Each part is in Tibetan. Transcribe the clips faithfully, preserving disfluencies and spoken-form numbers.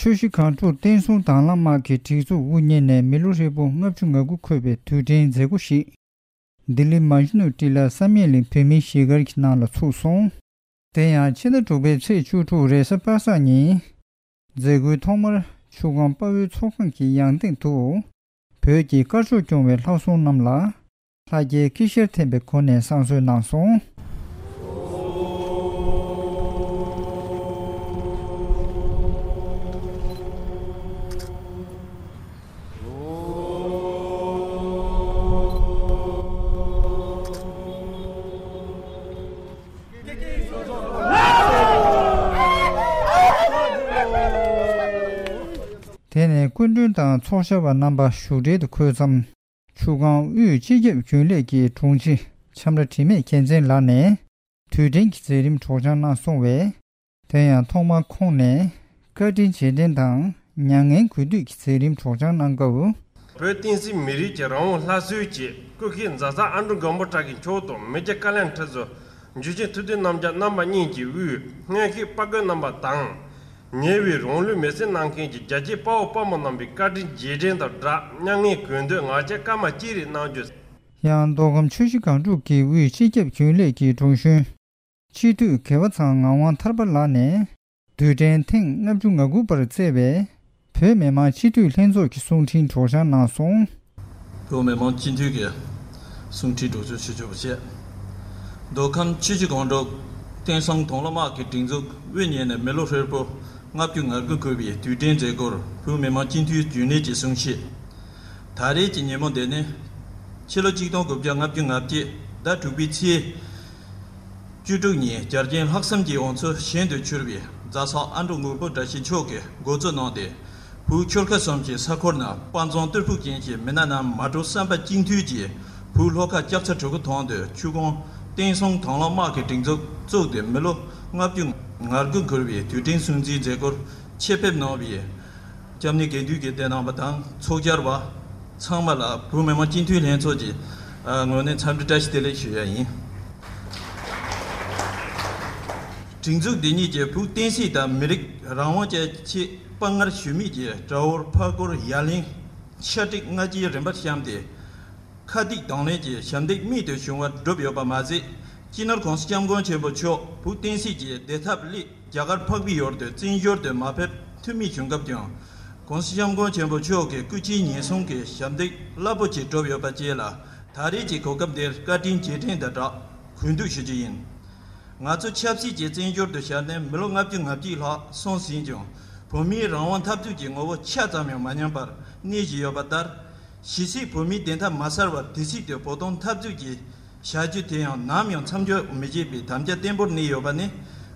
ཆུ་བཞི་སྒང་དྲུག་བསྟན་སྲུང་དྭང་བླངས་དམག་གི་སྒྲིག་འཛུགས་དབུ་བརྙེས་ནས་མི་ལོ་ཧྲིལ་པོ་ལྔ་བཅུ་ང་དགུ་འཁོར་བའི་དུས་དྲན་མཛད་སྒོ་ཞིག་ལྡི་ལི་མ་ཇུ་ནུ་ཊི་ལ་བསམ་ཡས་གླིང་བོད་མིའི་གཞིས་སྒར་གྱི་ནང་ལ་ཚུགས་སོང་། དེ་ཡང་ཕྱི་ཟླ་དྲུག་པའི་ཚེས་བཅུ་དྲུག་རེས་གཟའ་པ་སངས་ཉིན། མཛད་སྒོའི་ཐོག་མར་ཆུ་སྒང་དཔའ་བོའི་ཚོགས་ཁང་གི་ཡང་སྟེང་དུ། བོད་ཀྱི་དཀར་ཕྱོགས་སྐྱོང་བའི་ལྷ་སྲུང་རྣམས་ལ། ལྷ་རྒྱལ་དཀྱིལ་ཤར་འཐེན་པའི་སྒོ་ནས་བསང་གསོལ་གནང་སོང་། དེ་ནས་སྐུ་མགྲོན་དང་ཚོགས་བཅར་བ་རྣམ་པ་བཞུགས་གྲལ་དུ་འཁོད་མཚམས། ཆུ་སྒང་དབུས་སྤྱི་ཁྱབ་རྒྱུན་ལས་ཀྱི་དྲུང་ཆེ་འཆམ་ར་དྲི་མེད་རྒྱལ་མཚན་ལགས་ནས་དུས་དྲན་གྱི་མཛད་རིམ་སྒྲོག་སྦྱང་གནང་སོང་བས། དེ་ཡང་ཐོག་མར་ཁོང་ནས་བཀའ་དྲིན་རྗེས་དྲན་དང་མྱ་ངན་གུས་འདུད་ཀྱི་མཛད་རིམ་སྒྲོག་སྦྱང་གནང་སྐབས། བོད་བསྟན་སྲིད་མི་རིགས་ཀྱི་རང་དབང་སླར་གསོའི་ཆེད་སྐུ་སྒེར་མཛའ་བརྩེ་ཨ་འབྲུག་མགོན་པོ་བཀྲ་ཤིས་མཆོག་དང་མི་རྒྱ་དཀའ་ལས་ཁྲི་ཟུར་འཇུ་ཆེན་ཐུབ་བསྟན་རྣམ་རྒྱལ་རྣམ་པ་གཉིས་ཀྱི་དབུས་སྔོན་གཤེགས་དཔའ་རྒོད་རྣམ་པ་དང་། ཉེ་བའི་རང་ལུས་མེར་སྲེག་གནང་མཁན་གྱི་རྒྱལ་གཅེས་དཔའ་བོ་དཔའ་མོ་རྣམས་ཀྱི་བཀའ་དྲིན་རྗེས་དྲན་དང་སྦྲགས་མྱ་ངན་གུས་འདུད་ངག་བཅད་སྐར་མ་གཅིག་རེ་གནང་རྒྱུ། ཡང་མདོ་ཁམས་ཆུ་བཞི་སྒང་དྲུག་གི་དབུས་སྤྱི་ཁྱབ་རྒྱུན་ལས་ཀྱི་དྲུང་གཞོན། སྤྱི་འཐུས་དགེ་བ་ཚང་ངག་དབང་ཐར་པ་ལགས་ནས། དུས་དྲན་ཐེངས་ལྔ་བཅུ་ང་དགུ་པར་བསྩལ་བའི་བོད་མི་མང་སྤྱི་འཐུས་ལྷན་ཚོགས་ཀྱི་གསུང་འཕྲིན་སྒྲོག་སྦྱང་གནང་སོང་། བོད་མི་མང་སྤྱི་འཐུས་ཀྱི་གསུང་འཕྲིན་སྒྲོག་སྦྱང་ཞུ་ཆོག་པ་བྱས། མདོ་ཁམས་ཆུ་བཞི་སྒང་དྲུག་བསྟན་སྲུང་དྭང་བླངས་དམག་གི་སྒྲིག་འཛུགས་དབུ་བརྙེས་ནས་མི་ལོ་ཧྲིལ་པོ་ལྔ་བཅུ་ང་དགུ་འཁོར་བའི་དུས་དྲན་མཛད་སྒོར་བོད་མི་མང་སྤྱི་འཐུས་རྒྱུན་ལས་ཀྱི་གསུང་བཤད། ད་རེས་ཀྱི་ཉིན་མོ་འདི་ནི་ཕྱི་ལོ་ཆིག་སྟོང་དགུ་བརྒྱ་ལྔ་བཅུ་ང་བརྒྱད་ཟླ་དྲུག་པའི་ཚེས་བཅུ་དྲུག་ཉིན་རྒྱལ་ཆེན་ལྷག་བསམ་གྱི་དབང་ཕྱུག་ཞལ་དུ་གྱུར་པའི་རྫ་ས་ཨ་འབྲུག་མགོན་པོ་བཀྲ་ཤིས་མཆོག་གི་འགོ་གཙོ་གནང་སྟེ། བོད་ཆོལ་ཁ་གསུམ་གྱི་ས་ཁུལ་ནང་དཔའ་མཛངས་རྟུལ་ཕོད་ཅན་གྱི་མི་སྣ་རྣམས་མ་འགྲོ་བསམ་པ་གཅིག་མཐུན་གྱིས་བོད་ལྷོ་ཁ་ལྕགས་རྩ་གྲི་གུ་ཐང་དུ་ཆུ་སྒང་བསྟན་སྲུང་དྭང་བླངས་དམག་གི་སྒྲིག་འཛུགས་བཙུགས་ཏེ་མི་ལོ་ལྔ་བཅུ་ང་དགུ་འཁོར་བའི་དུས་དྲན་སྲུང་བརྩིའི་མཛད་སྒོར་ཆེད་ཕེབས་གནང་བའི་སྐྱབས་གནས་དགེ་འདུན་གྱི་སྡེ་ནང་པ་དང་ཚོགས་བཅར་བ་ཚང་མ་ལ་བོད་མི་མང་སྤྱི་འཐུས་ལྷན་ཚོགས་ཀྱི་ངོས་ནས་འཚམས་འདྲི་བཀྲ་ཤིས་བདེ་ལེགས་ཞུ་ཡ་ཡིན། སྒྲིག་འཛུགས་འདི་ཉིད་ཀྱིས་བོད་བསྟན་སྲིད་དང་མི་རིགས་རང་དབང་བཅས་ཆེད་དཔའ་ངར་ཞུམ་མེད་ཀྱིས་དགྲ་བོར་ཕར་རྒོལ་ཡ་ལན་ཤ་སྟག་སྔ་རྗེས་རིམ་པར་བཤམས་ཏེ། ཁ་གཏད་གདོང་ལེན་གྱི་ཞབས་འདེགས་རྨད་དུ་བྱུང་བ་བསྒྲུབས་ཡོད་པ་མ་ཟད། སྤྱི་ནོར་གོང་ས་སྐྱབས་མགོན་ཆེན་པོ་མཆོག་བོད་བསྟན་སྲིད་ཀྱི་བདེ་ཐབས་སླད་རྒྱ་གར་འཕགས་པའི་ཡུལ་དུ་བཙན་བྱོལ་དུ་མ་ཕེབས་ཐུབ་མེད་བྱུང་སྐབས་ཀྱང་། གོང་ས་སྐྱབས་མགོན་ཆེན་པོ་མཆོག་གི་སྐུ་ཕྱྭའི་ཉེན་སྲུང་གི་ཞབས་འདེགས་རླབས་པོ་ཆེ་བསྒྲུབས་ཡོད་པ་བཅས་ལ་ད་རེས་ཀྱི་གོ་སྐབས་འདིར་བཀའ་དྲིན་རྗེས་དྲན་དང་སྦྲགས་གུས་འདུད་ཞུ་རྒྱུ་ཡིན། ང་ཚོ་ཆབ་སྲིད་ཀྱི་བཙན་བྱོལ་དུ་བཞག་ནས་མི་ལོ་ལྔ་བཅུ་ང་གཅིག་ལྷག་སོང་ཟིན་ཀྱང་། བོད་མིའི་རང་དབང་འཐབ་རྩོད་ཀྱི་ངོ་བོ་ཆ་ཙམ་ཡང་མ་ཉམས་པར་གནས་བཞིན་ཡོད་པ་ལྟར། ཇི་སྲིད་བོད་མིའི་བདེན་མཐའ་མ་གསལ་བར་དེ་སྲིད་དུ་བོད་དོན་འཐབ་རྩོད་ཀྱི་བྱ་རྒྱུ་དེ་ཡང་ནམ་ཡང་མཚམས་འཇོག་མི་བྱེད་པའི་དམ་བཅའ་བརྟན་པོར་གནས་ཡོད་པ་ནི།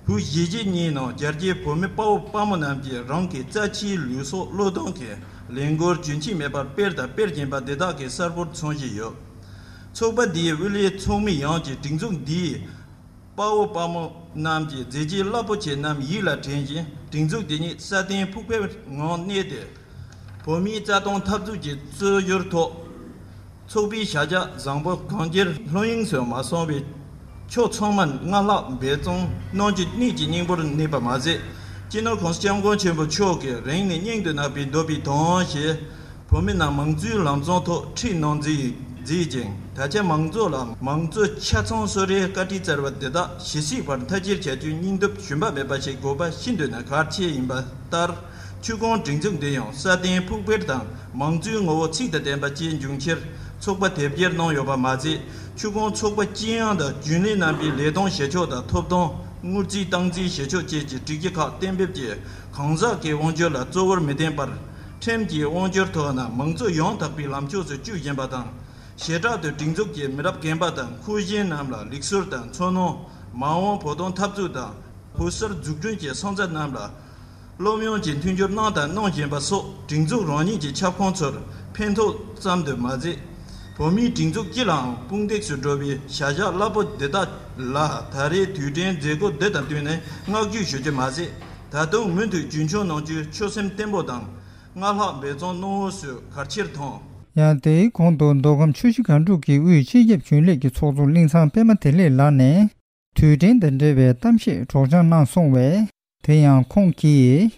བོད་གཞིས་བྱེས་གཉིས་ནང་རྒྱལ་གཅེས་བོད་མི་དཔའ་བོ་དཔའ་མོ་རྣམས་ཀྱིས་རང་གི་རྩ་ཆེའི་ལུས་སྲོག་བློས་གཏོང་གིས་ལས་འགུལ་རྒྱུན་ཆད་མེད་པར་སྤེལ་དང་སྤེལ་བཞིན་པ་འདི་དག་གི་གསལ་པོར་མཚོན་བཞིན་ཡོད། ཚོགས་པ་འདིའི་དབུ་ལས་ཚོགས་མི་ཡོངས་ཀྱིས་སྒྲིག་འཛུགས་འདིའི་དཔའ་བོ་དཔའ་མོ་རྣམས་ཀྱི་མཛད་རྗེས་རླབས་པོ་ཆེ་རྣམས་ཡིད་ལ་དྲན་བཞིན། སྒྲིག་འཛུགས་འདི་ཉིད་སྲ་བརྟན་ཕུགས་པའི་ངང་གནས་ཏེ། བོད་མིའི་རྩ་དོན་འཐབ་རྩོད་ཀྱི་རྩོད་བཞུར་ཐོག་ཚོགས་པའི་བྱ་གཞག་བཟང་པོ་གང་ཅིར་ལྷོད་གཡེང་སུ་མ་སོང་བའི་ཕྱོགས་ཚང་མར་སྔར་ལྷག་འབད་བརྩོན་གནང་རྒྱུ་གནད་ཀྱི་སྙིང་པོར་གནས་པ་མ་ཟད། སྤྱི་ནོར་གོང་ས་སྐྱབས་མགོན་ཆེན་པོ་མཆོག་གིས་རིང་ནས་སྙིང་དུ་བརྣག་པའི་འདོད་པའི་དོན་ཞེས། བོད་མི་རྣམས་མང་གཙོའི་ལམ་བཟང་ཐོག་ཁྲིད་གནང་མཛད་མཛད་ཅིང་། ད་ཆ་མང་ཚོགས་ལ་མང་གཙོ་ཆ་ཚང་གསོལ་རས་བཀའ་ཁྲིད་སྩལ་བ་འདི་དག་ཇི་སྲིད་བར་མཐའ་སྐྱེལ་བྱ་རྒྱུའི་སྙིང་སྟོབས་ཞུམ་པ་མེད་པ་ཞིག་དགོས་པ་ཤིན་ཏུ་ནས་གལ་ཆེ་ཡིན་པ་ལྟར། ཆུ་སྒང་སྒྲིག་འཛུགས་འདི་ཡང་སྲ་བརྟན་ཕུགས་འཕེར་དང་མང་གཙོའི་ངོ་བོ་ཚིག་དང་ལྡན་པ་བཅས་འབྱུང་ཕྱིར་ཚོགས་པ་དེབ་སྐྱེལ་གནང་ཡོད་པ་མ་ཟད། ཆུ་སྒང་ཚོགས་པ་སྤྱི་ཡོངས་དང་རྒྱུན་ལས་རྣམ་པའི་ལས་དོན་བྱེད་ཕྱོགས་དང་ཐོབ་ཐང་། དངུལ་རྩིས་སྟངས་འཛིན་བྱེད་ཕྱོགས་བཅས་ཀྱི་སྒྲིག་གཞི་ཁག་གཏན་འབེབས་ཀྱིས་གང་ཟག་གི་དབང་སྒྱུར་ལ་གཙོ་བོར་མི་བརྟེན་པར། ཁྲིམས་ཀྱི་དབང་སྒྱུར་ཐོག་ནས་མང་གཙོ་ཡང་དག་པའི་ལམ་ཕྱོགས་སུ་བསྐྱོད་བཞིན་པ་དང་། བྱེ་བྲག་ཏུ་སྒྲིག་འཛུགས་ཀྱི་མི་རབས་རྒན་པ་དང་འཁོས་ཞན་རྣམས་ལ་ལུགས་སྲོལ་དང་ཚོར་སྣང་། མ་འོངས་བོད་དོན་འཐབ་རྩོད་དང་། བོད་གསར་འཛུགས་སྐྲུན་གྱི་སོན་རྩ་རྣམས་ལ་སློབ་ཡོན་གྱི་མཐུན་འགྱུར་གནང་དང་གནང་བཞིན་པ་སོགས་སྒྲིག་འཛུགས་རང་ཉིད་ཀྱི་ཁྱབ་ཁོངས་ཚོར་ཕན་ཐོགས་ཙམ་དུ་མ་ཟད། བོད་མིའི་སྒྲིག་འཛུགས་སྤྱི་ལའང་དཔུང་འདེགས་སུ་འགྲོ་བའི་བྱ་གཞག་རླབས་པོ་འདི་དག་ལ་ད་རེས་དུས་དྲན་མཛད་སྒོ་འདི་དང་བསྟུན་ནས་བསྔགས་བརྗོད་ཞུ་རྒྱུ་མ་ཟད། ད་དུང་མུ་མཐུད་རྒྱུན་འཁྱོངས་གནང་རྒྱུའི་ཆོད་སེམས་བརྟན་པོ་དང་། སྔར་ལྷག་འབད་བརྩོན་གནང་འོས་སུ་གལ་ཆེར་མཐོང་། ཡང་དེའི་གོང་དུ་མདོ་ཁམས་ཆུ་བཞི་སྒང་དྲུག་གི་དབུས་སྤྱི་ཁྱབ་རྒྱུན་ལས་ཀྱི་ཚོགས་གཙོ་གླིང་ཚང་པད་མ་བདེ་ལེགས་ལགས་ནས་དུས་དྲན་དང་འབྲེལ་བའི་གཏམ་བཤད་སྒྲོག་སྦྱང་གནང་སོང་བས། དེ་ཡང་ཁོང་གིས།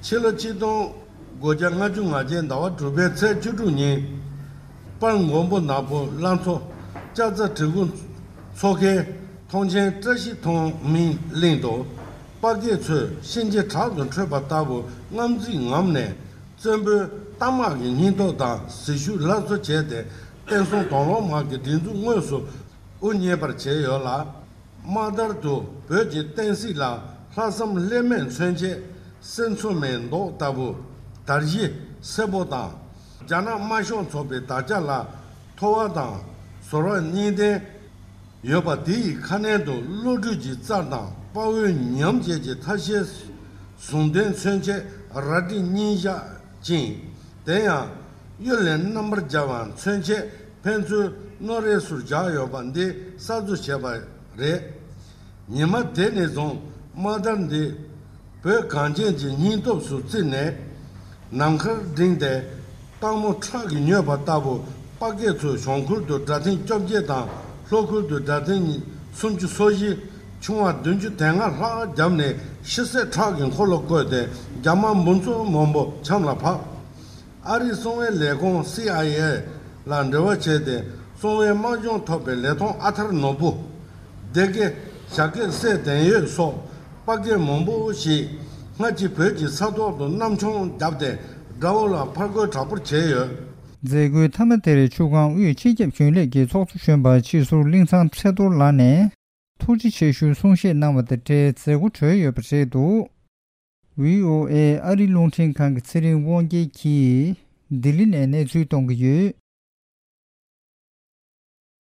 ཕྱི་ལོ་ཆིག་སྟོང་དགུ་བརྒྱ་ལྔ་བཅུ་ང་བརྒྱད་ཟླ་བ་དྲུག་པའི་ཚེས་བཅུ་དྲུག་ཉིན། དཔལ་མགོན་པོ་ནག་པོ་བླ་མཚོ་ལྕགས་རྩ་བྲིས་སྐུ་མཚོ་ཁའི་ཐོངས་མཆན་བཀྲ་ཤིས་མཐོང་སྨིན་གླིང་དུ། དཔའ་སྐད་ཚོས་གཤིན་རྗེ་དྲག་ཏུ་ཁྲོས་པ་ལྟ་བུ་དངངས་འཛིན་ངོམས་ནས། བཙན་པོའི་རྟ་དམག་གི་སྙིང་སྟོབས་དང་ཟིལ་ཤུགས་སླར་གསོ་བྱས་ཏེ། བསྟན་སྲུང་དོན་ལོ་མ་གི་སྒྲིག་འཛུགས་དངོས་སུ་དབུ་བརྙེས་པར་བྱས་ཡོད་ལ། དམག་དར་དུ་བོད་ཀྱི་བསྟན་སྲིད་ལ་ལྷག་བསམ་ལྷད་མེད་མཚོན་ཆེད། གསེར་མཚོ་མའི་མདོག་ལྟ་བུ་དར་གཞི་སེར་པོ་དང་། རྒྱ་ནག་དམར་ཤོག་ཚོགས་པའི་དར་ཆ་ལ་ཐོ་བ་དང་ཟོར་བ་གཉིས་ལྡན་ཡོད་པ། དེ་ཡི་ཁ་སྣོན་དུ་བློ་གྲོས་ཀྱི་རྩལ་དང་དཔའ་བོའི་ཉམས་བཅས་ཀྱི་ཐ་ཤལ་ཟུང་ལྡན་མཚོན་ཆེད་རལ་གྲི་གཉིས་བཞག་ཅིང་། དེ་ཡང་གཡུ་ལས་རྣམ་པར་རྒྱལ་བ་མཚོན་ཆེད་ཕན་ཚུན་རྣོ་རས་སུ་བཞག་ཡོད་པ་འདི་གསར་བཟོ་བྱས་པ་རེད། ཉི་མ་དེ་ནས་བཟུང་དམག་དར་འདི་བོད་གངས་ཅན་གྱི་སྙིང་སྟོབས་སུ་བརྩིས་ནས། ནམ་མཁར་བསྒྲེངས་ཏེ་སྟག་མོ་ཁྲག་གིས་མྱོས་པ་ལྟ་བུ་དཔའ་སྐད་ཚོས་གཞུང་ཁུལ་དུ་སྒྲ་ཐེངས་བཅོ་བརྒྱད་དང་ལྷོ་ཁུལ་དུ་སྒྲ་ཐེངས་སུམ་ཅུ་སོ་བཞི། ཆུང་བ་བདུན་ཅུ་དོན་ལྔ་ལྷག་བརྒྱབ་ནས་ཤི་བསད་ཁྲག་གི་འཁོར་ལོ་བསྐོར་ཏེ། རྒྱ་དམག་འབུམ་ཚོ་མང་པོ་ཆམ་ལ་ཕབ། ཨ་རིའི་གསང་བའི་ལས་ཁུངས་སི་ཨའི་ཨེ་ལ་འབྲེལ་བ་བྱས་ཏེ། གསང་བའི་དམག་སྦྱོང་ཐོབ་པའི་ལས་མཐོང་ཨ་ཐར་ནོར་བུ། སྡེ་དགེ་ཞྭ་སྐད་སྲས་དོན་ཡོད་སོགས་དཔའ་སྐད་མང་པོ་ཞིག་སྔ་ཕྱི་བོད་ཀྱི་ས་ཐོག་ཏུ་གནམ་མཆོང་བརྒྱབ་སྟེ། དགྲ་བོ་ལ་ཕར་རྒོལ་དྲག་པོར་བྱས་ཡོད། མཛད་སྒོའི་མཐའ་མ་དེར་ཆུ་སྒང་དབུས་སྤྱི་ཁྱབ་རྒྱུན་ལས་ཀྱི་ཚོགས་གཙོ་གཞོན་པ་སྤྱི་ཟུར་གླིང་ཚང་ཚེ་རྡོར་ལགས་ནས། ཐུགས་རྗེ་ཆེ་ཞུའི་གསུང་བཤད་གནང་བ་དང་འབྲེལ་མཛད་སྒོ་གྲོལ་ཡོད་པ་རེད་འདུག། ཝི་ཨོ་ཨེ་ཨ་རིའི་རླུང་འཕྲིན་ཁང་གི་ཚེ་རིང་དབང་རྒྱལ་གྱིས་ལྡི་ལི་ནས་གནས་ཚུལ་གཏོང་གི་ཡོད།